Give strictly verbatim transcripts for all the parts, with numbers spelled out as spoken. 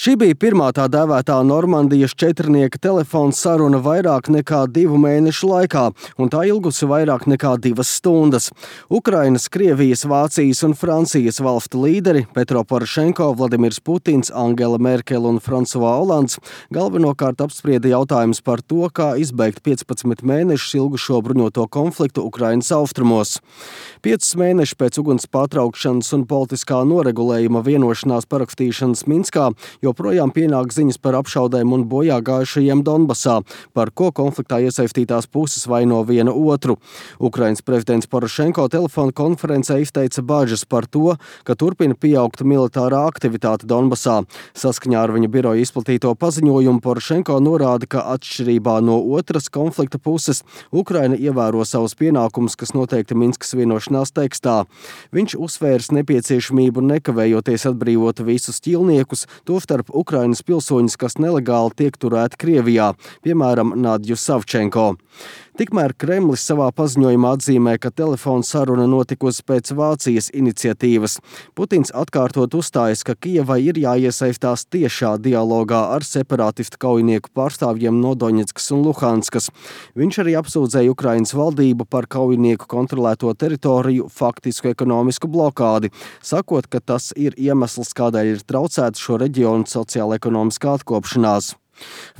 Šī bija pirmā tā dēvētā Normandijas četrnieka telefona saruna vairāk nekā divu mēnešu laikā, un tā ilgusi vairāk nekā divas stundas. Ukrainas, Krievijas, Vācijas un Francijas valstu līderi Petro Porošenko, Vladimirs Putins, Angela Merkele un Fransuā Olands galvenokārt apsprieda jautājumus par to, kā izbeigt piecpadsmit mēnešus ilgušo bruņoto konfliktu Ukrainas austrumos. Piecus mēnešus pēc uguns pārtraukšanas un politiskā noregulējuma vienošanās parakstīšanas Minskā joprojām pienāk ziņas par apšaudēm un bojā gājušajiem Donbasā, par ko konfliktā iesaistītās puses vaino viena otru. Ukrainas prezidents Porošenko telefona konferencē izteica bažas par to, ka turpina pieaugt militārā aktivitāte Donbasā. Saskaņā ar viņa biroja izplatīto paziņojumu Porošenko norāda, ka atšķirībā no otras konflikta puses Ukraina ievēro savus pienākumus, kas noteikti Minskas vienošanās tekstā. Viņš uzsvērs nepieciešamību nekavējoties atbrīvot visus ķīlniekus, tostarp Ukrainas pilsoņus, kas nelegāli tiek turēti Krievijā, piemēram, Nadju Savčenko. Tikmēr Kremlis savā paziņojumā atzīmē, ka telefona saruna notikusi pēc Vācijas iniciatīvas. Putins atkārtot uzstājas, ka Kijevai ir jāiesaistās tiešā dialogā ar separātistu kaujinieku pārstāvjiem no Doņetskas un Luhanskas. Viņš arī apsūdzēja Ukrainas valdību par kaujinieku kontrolēto teritoriju faktisku ekonomisku blokādi, sakot, ka tas ir iemesls, kādēļ ir traucēta šo reģionu sociāla-ekonomiskā atkopšanās.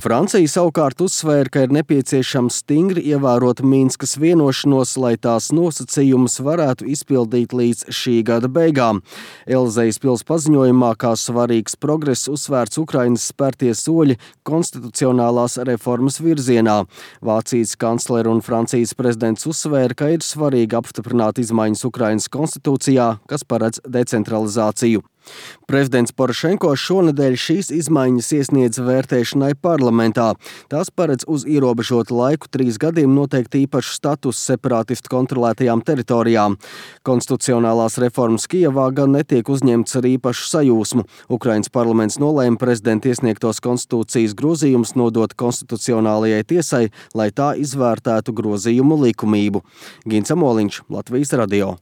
Francija savukārt uzsvēra, ka ir nepieciešams stingri ievērot Minskas vienošanos, lai tās nosacījumus varētu izpildīt līdz šī gada beigām. Elizejas pils paziņojumā kā svarīgs progress uzsvērts Ukrainas spērtie soļi konstitucionālās reformas virzienā. Vācijas kanclere un Francijas prezidents uzsvēra, ka ir svarīgi apstiprināt izmaiņas Ukrainas konstitūcijā, kas paredz decentralizāciju. Prezidents Porošenko šonedēļ šīs izmaiņas iesniedz vērtēšanai parlamentā. Tās paredz uz ierobežotu laiku trīs gadiem noteikt īpašu statusu separātistu kontrolētajām teritorijām. Konstitucionālās reformas Kijevā gan netiek uzņemts ar īpašu sajūsmu. Ukrainas parlaments nolēma prezidenta iesniegtos konstitūcijas grozījumus nodot konstitucionālajai tiesai, lai tā izvērtētu grozījumu likumību. Gins Amoliņš, Latvijas radio.